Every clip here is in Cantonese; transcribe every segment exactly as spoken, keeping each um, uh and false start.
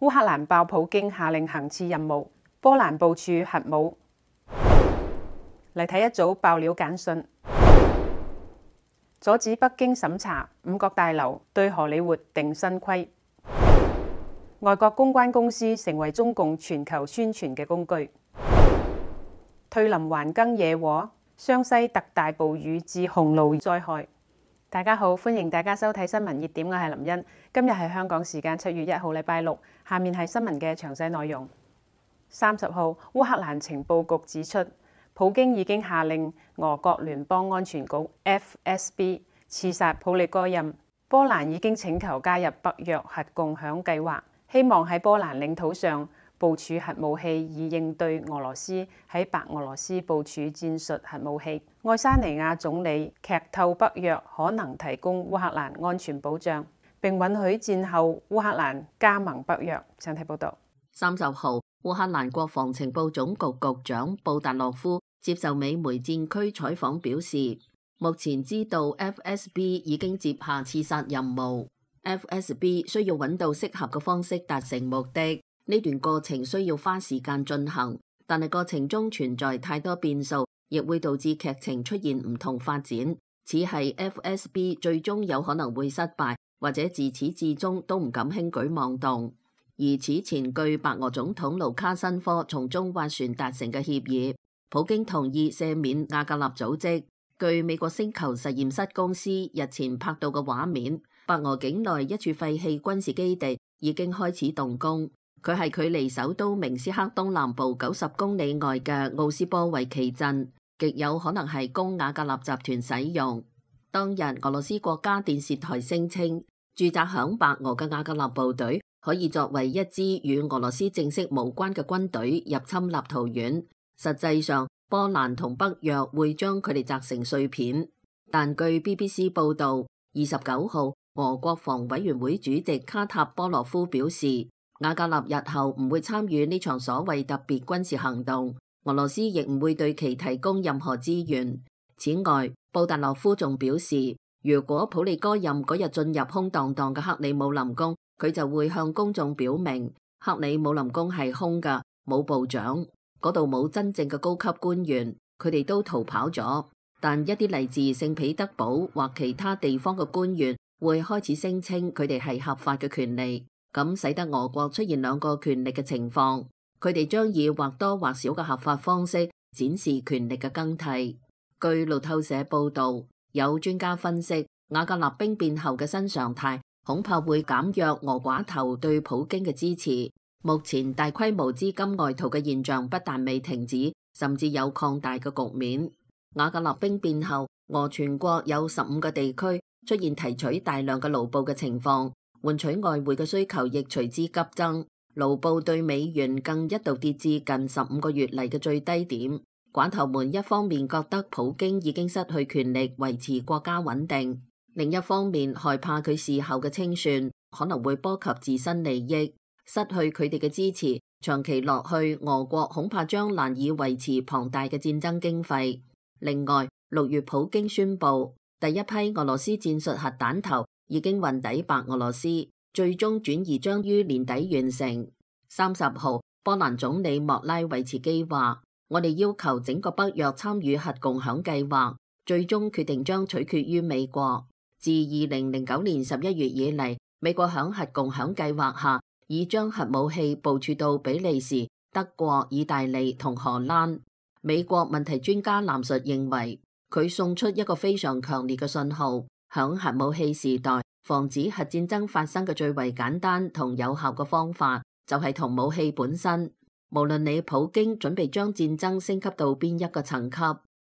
烏克蘭爆普京下令行刺任務，波蘭部署核武。嚟睇一組爆料簡訊，阻止北京審查五角大樓對荷里活定新規。外國公關公司成為中共全球宣傳嘅工具。退林還耕野火，湘西特大暴雨致洪澇災害。大家好，歡迎大家收睇新聞熱點，我係林茵。今日係香港時間七月一號，禮拜六。下面係新聞嘅詳細內容。三十號，烏克蘭情報局指出，普京已經下令俄國聯邦安全局 F S B 刺殺普利戈任。波蘭已經請求加入北約核共享計劃，希望喺波蘭領土上部署核武器，以應對俄羅斯喺白俄羅斯部署戰術核武器。愛沙尼亞總理劇透北約可能提供烏克蘭安全保障，並允許戰後烏克蘭加盟北約。請睇報道。三十號，烏克蘭國防情報總局局長布達洛夫接受美媒戰區採訪表示，目前知道 F S B 已經接下刺殺任務。F S B 需要揾到適合嘅方式達成目的，呢段過程需要花時間進行，但係過程中存在太多變數，亦會導致劇情出現唔同發展。此係 F S B 最終有可能會失敗，或者自始至終都唔敢輕舉妄動。而此前據白俄總統盧卡申科從中斡旋達成嘅協議，普京同意赦免瓦格納組織。據美國星球實驗室公司日前拍到嘅畫面，白俄境內一處廢棄軍事基地已經開始動工。佢係距離首都明斯克東南部九十公里外嘅奧斯波維奇鎮，極有可能係供瓦格納集團使用。當日俄羅斯國家電視台聲稱，駐紮響白俄嘅瓦格納部隊可以作為一支與俄羅斯正式無關嘅軍隊入侵立陶宛。實際上，波蘭同北約會將佢哋砸成碎片。但據 B B C 報導，二十九號，俄國防委員會主席卡塔波羅夫表示，瓦格納日後唔會參與呢場所謂特別軍事行動，俄羅斯亦唔會對其提供任何資源。此外，布達洛夫仲表示，如果普利戈任嗰日進入空蕩蕩嘅克里姆林宮，佢就會向公眾表明克里姆林宮係空㗎，冇部長，嗰度冇真正嘅高級官員，佢哋都逃跑咗。但一啲嚟自聖彼得堡或其他地方嘅官員會開始聲稱佢哋係合法嘅權利。咁使得俄國出現兩個權力嘅情況，佢哋將以或多或少嘅合法方式展示權力嘅更替。據路透社報導，有專家分析，瓦格納兵變後嘅新常態恐怕會減弱俄寡頭對普京嘅支持。目前大規模資金外逃嘅現象不但未停止，甚至有擴大嘅局面。瓦格納兵變後，俄全國有十五個地區出現提取大量嘅盧布嘅情況。換取外匯嘅需求亦隨之急增，盧布對美元更一度跌至近十五個月嚟嘅最低點。寡頭們一方面覺得普京已經失去權力維持國家穩定，另一方面害怕佢事後嘅清算可能會波及自身利益，失去佢哋嘅支持，長期落去，俄國恐怕將難以維持龐大嘅戰爭經費。另外，六月普京宣布第一批俄羅斯戰術核彈頭已經運抵白俄羅斯，最終轉移將於年底完成。三十號，波蘭總理莫拉維茨基話：我哋要求整個北約參與核共享計劃，最終決定將取決於美國。自二零零九年十一月以嚟，美國響核共享計劃下，已將核武器部署到比利時、德國、意大利同荷蘭。美國問題專家藍述認為，佢送出一個非常強烈嘅信號。響核武器時代，防止核戰爭發生嘅最為簡單同有效嘅方法，就係同武器本身。無論你普京準備將戰爭升級到邊一個層級，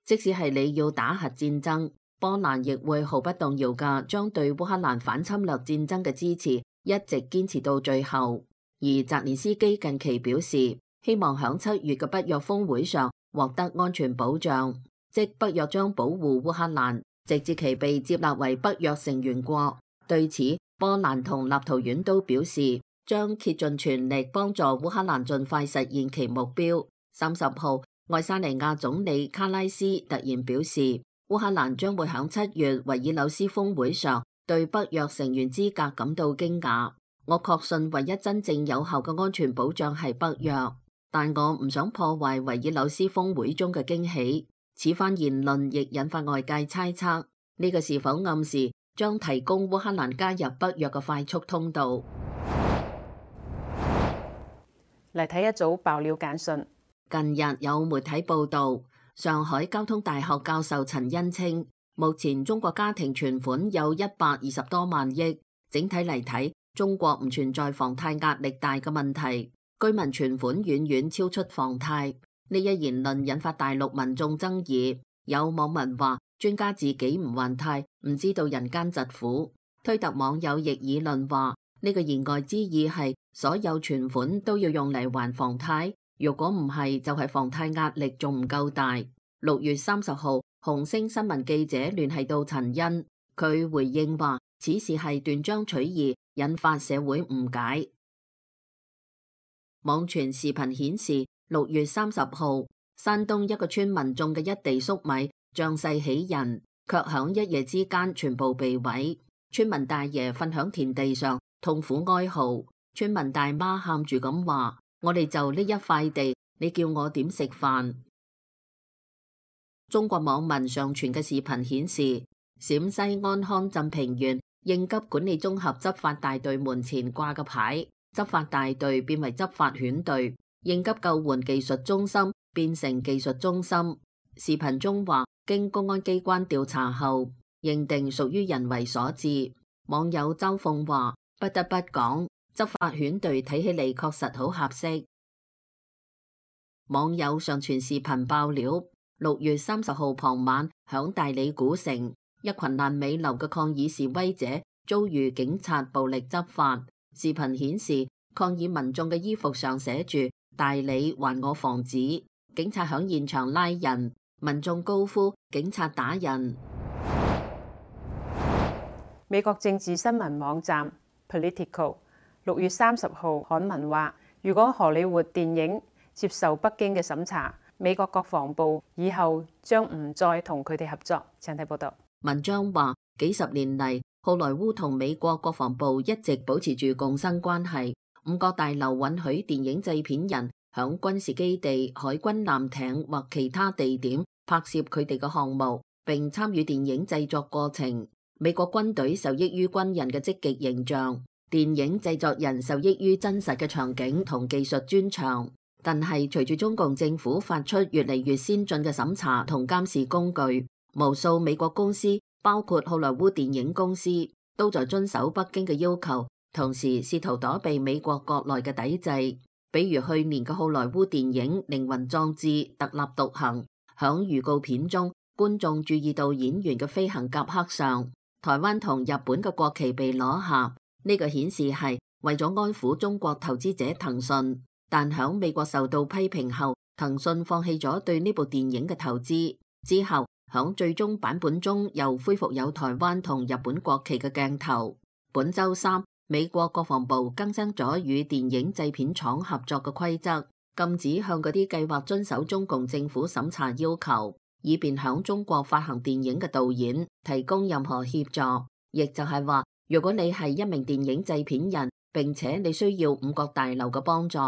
即使係你要打核戰爭，波蘭亦會毫不動搖嘅將對烏克蘭反侵略戰爭嘅支持一直堅持到最後。而澤連斯基近期表示，希望響七月嘅北約峰會上獲得安全保障，即北約將保護烏克蘭，直至其被接納為北約成員國。對此，波蘭同立陶宛都表示將竭盡全力幫助烏克蘭盡快實現其目標。三十號，愛沙尼亞總理卡拉斯突然表示，烏克蘭將會響七月維爾紐斯峰會上對北約成員資格感到驚訝。我確信唯一真正有效嘅安全保障係北約，但我唔想破壞維爾紐斯峰會中嘅驚喜。此番言論亦引發外界猜測，呢個是否暗示將提供烏克蘭加入北約嘅快速通道？嚟睇一組爆料簡訊。近日有媒體報道，上海交通大學教授陳恩稱，目前中國家庭存款有一百二十多萬億，整體嚟睇，中國唔存在房貸壓力大嘅問題，居民存款遠遠超出房貸。呢一言論引發大陸民眾爭議，有網民話專家自己唔還貸，唔知道人間疾苦。推特網友亦議論話，呢個言外之意係所有存款都要用嚟還房貸，如果唔係就係房貸壓力仲唔夠大。六月三十號，紅星新聞記者聯繫到陳恩，佢回應話此事係斷章取義，引發社會誤解。網傳視頻顯示，六月三十號，山東一個村民種嘅一地粟米仗勢喜人，卻響一夜之間全部被毀。村民大爺瞓響田地上痛苦哀嚎，村民大媽喊住咁話：我哋就呢一塊地，你叫我點食飯？中國網民上傳嘅視頻顯示，陝西安康鎮平縣應急管理綜合執法大隊門前掛嘅牌，執法大隊變為執法犬隊，應急救援技術中心變成技術中心。視頻中話，經公安機關調查後，認定屬於人為所致。網友周鳳話：不得不講，執法犬隊睇起嚟確實好合適。網友上傳視頻爆料，六月三十號傍晚，響大理古城，一群爛尾樓嘅抗議示威者遭遇警察暴力執法。視頻顯示，抗議民眾嘅衣服上寫住大理還我房子，警察響現場拉人，民眾高呼警察打人。美國政治新聞網站 Politico 六月三十號刊文話，如果荷里活電影接受北京嘅審查，美國國防部以後將唔再同佢哋合作。請睇報道。文章話，幾十年嚟，好萊塢同美國國防部一直保持住共生關係。五角大樓允許電影製片人響軍事基地、海軍艦艇或其他地點拍攝佢哋嘅項目，並參與電影製作過程。美國軍隊受益於軍人嘅積極形象，電影製作人受益於真實嘅場景同技術專長。但係隨住中共政府發出越嚟越先進嘅審查同監視工具，無數美國公司，包括好萊塢電影公司，都在遵守北京嘅要求，同時試圖躲避美國國內嘅抵制。比如去年嘅好萊塢電影《靈魂壯志》特立獨行，響預告片中，觀眾注意到演員嘅飛行夾克上台灣同日本嘅國旗被攞下，呢個顯示係為咗安撫中國投資者騰訊。但響美國受到批評後，騰訊放棄咗對呢部電影嘅投資。之後響最終版本中又恢復有台灣同日本國旗嘅鏡頭。本周三，美國國防部更新咗與電影製片廠合作嘅規則，禁止向嗰啲計劃遵守中共政府審查要求，以便響中國發行電影嘅導演提供任何協助。亦就係話，如果你係一名電影製片人，並且你需要五角大樓嘅幫助，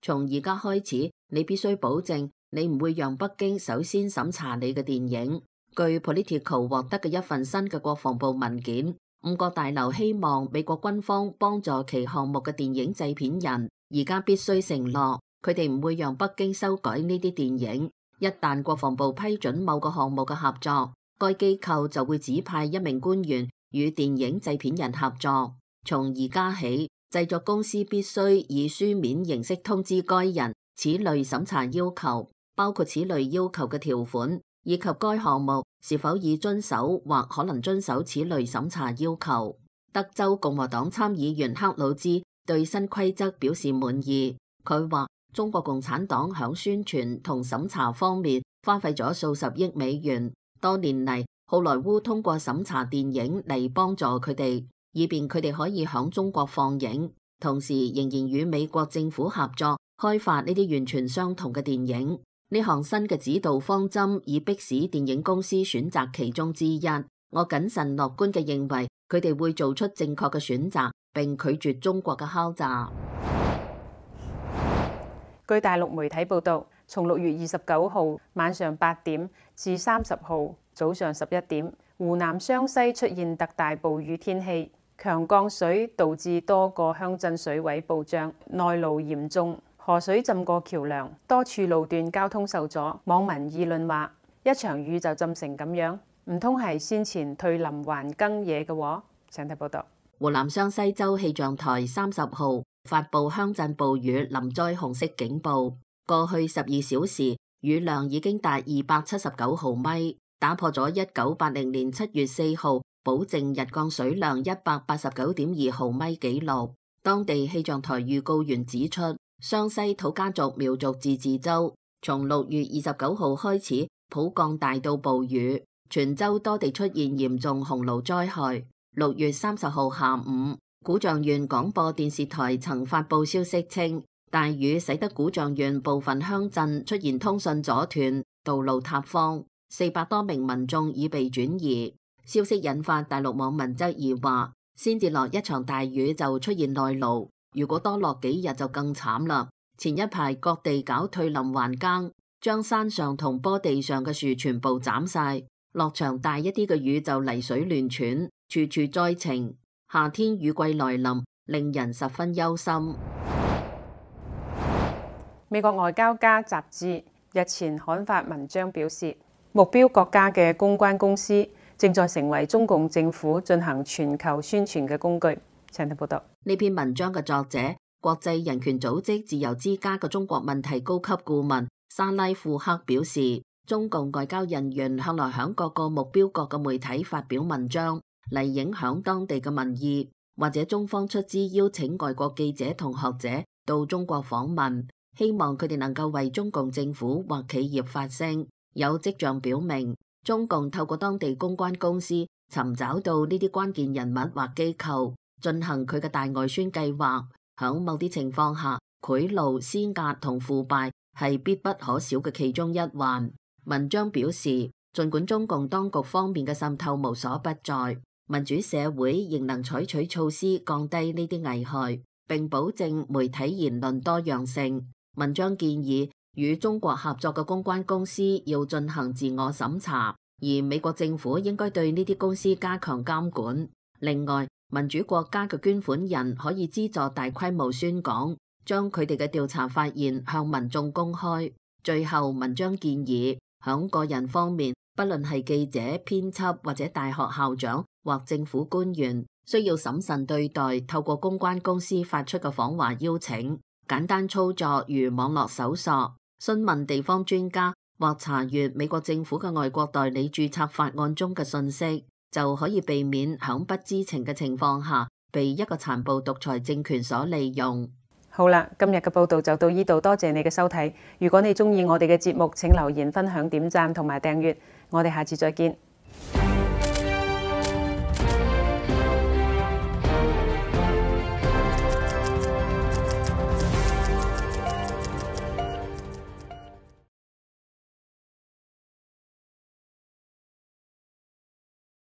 從而家開始，你必須保證你唔會讓北京首先審查你嘅電影。據 Politico 獲得嘅一份新嘅國防部文件，五角大樓希望美國軍方幫助其項目嘅電影製片人，而家必須承諾，佢哋唔會讓北京修改呢啲電影。一旦國防部批准某個項目嘅合作，該機構就會指派一名官員與電影製片人合作。從而家起，製作公司必須以書面形式通知該人此類審查要求，包括此類要求嘅條款，以及該項目是否已遵守或可能遵守此類審查要求。德州共和黨參議員克魯茲對新規則表示滿意。佢話中國共產黨響宣傳同審查方面花費咗數十億美元，多年嚟好萊塢通過審查電影嚟幫助佢哋，以便佢哋可以響中國放映，同時仍然與美國政府合作開發呢啲完全相同嘅電影。呢項新嘅指導方針以迫使電影公司選擇其中之一。我謹慎樂觀嘅認為佢哋會做出正確嘅選擇，並拒絕中國嘅敲詐。據大陸媒體報導，從六月二十九號晚上八點至三十號早上十一點，湖南湘西出現特大暴雨天氣，強降水導致多個鄉鎮水位暴漲，內澇嚴重，河水浸過橋梁，多處路段交通受阻。網民議論話：一場雨就浸成咁樣，唔通係先前退林還耕野嘅喎？請睇報道。湖南湘西州氣象台三十號發布鄉鎮暴雨林災紅色警報，過去十二小時雨量已經達二百七十九毫米，打破咗一九八零年七月四號保證日降水量一百八十九點二毫米紀錄。當地氣象台預告員指出，湘西土家族苗族自治州從六月二十九號開始普降大到暴雨，全州多地出現嚴重洪澇災害。六月三十號下午，古丈縣廣播電視台曾發布消息稱，大雨使得古丈縣部分鄉鎮出現通訊阻斷、道路塌方，四百多名民眾已被轉移。消息引發大陸網民質疑話，先至落一場大雨就出現內澇，如果多落幾日就更慘啦。前一排各地搞退林還耕，將山上同坡地上嘅樹全部斬晒，落場大一啲嘅雨就泥水亂竄，處處災情。夏天雨季來臨，令人十分憂心。美國外交家雜誌日前刊發文章表示，目標國家嘅公關公司正在成為中共政府進行全球宣傳嘅工具。請睇報道。呢篇文章嘅作者，國際人權組織自由之家嘅中國問題高級顧問沙拉庫克表示，中共外交人員向來響各個目標國嘅媒體發表文章嚟影響當地嘅民意，或者中方出資邀請外國記者同學者到中國訪問，希望佢哋能夠為中共政府或企業發聲。有跡象表明，中共透過當地公關公司尋找到呢啲關鍵人物或機構，進行佢嘅大外宣計劃。響某啲情況下，賄賂、施壓同腐敗係必不可少嘅其中一環。文章表示，儘管中共當局方面嘅滲透無所不在，民主社會仍能採取措施降低呢啲危害，並保證媒體言論多樣性。文章建議與中國合作嘅公關公司要進行自我審查，而美國政府應該對呢啲公司加強監管。另外，民主國家嘅捐款人可以資助大規模宣講，將佢哋嘅調查發現向民眾公開。最後，文章建議響個人方面，不論係記者、編輯或者大學校長或政府官員，需要審慎對待透過公關公司發出嘅訪華邀請。簡單操作如網絡搜索、詢問地方專家或查閱美國政府嘅外國代理註冊法案中嘅信息，就可以避免響不知情嘅情況下被一個殘暴獨裁政權所利用。好啦，今日嘅報道就到呢度，多謝你嘅收睇。如果你中意我哋嘅節目，請留言、分享、點讚同埋訂閱。我哋下次再見。